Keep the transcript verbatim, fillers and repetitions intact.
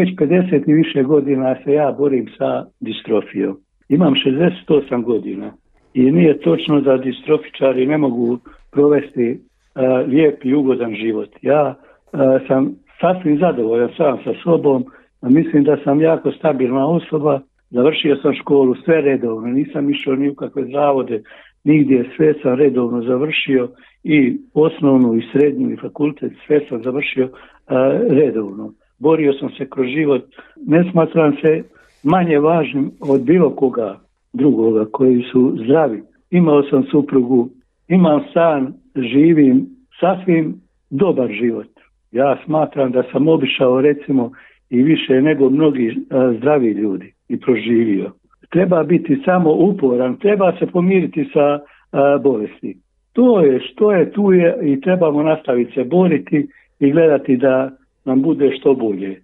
već pedeset i više godina se ja borim sa distrofijom. Imam šezdeset osam godina i nije točno da distrofičari ne mogu provesti uh, lijep i ugodan život. Ja uh, sam sasvim zadovoljan sam sa sobom, a mislim da sam jako stabilna osoba, završio sam školu sve redovno, nisam išao ni u kakve zavode, nigdje, sve sam redovno završio i osnovnu i srednju i fakultet, sve sam završio uh, redovno. Borio sam se kroz život, ne smatram se manje važnim od bilo koga drugoga koji su zdravi. Imao sam suprugu, imam stan, živim sasvim dobar život. Ja smatram da sam obišao recimo i više nego mnogi a, zdravi ljudi i proživio. Treba biti samo uporan, treba se pomiriti sa a, bolesti. To je što je, tu je i trebamo nastaviti se boriti i gledati da nam bude što bolje.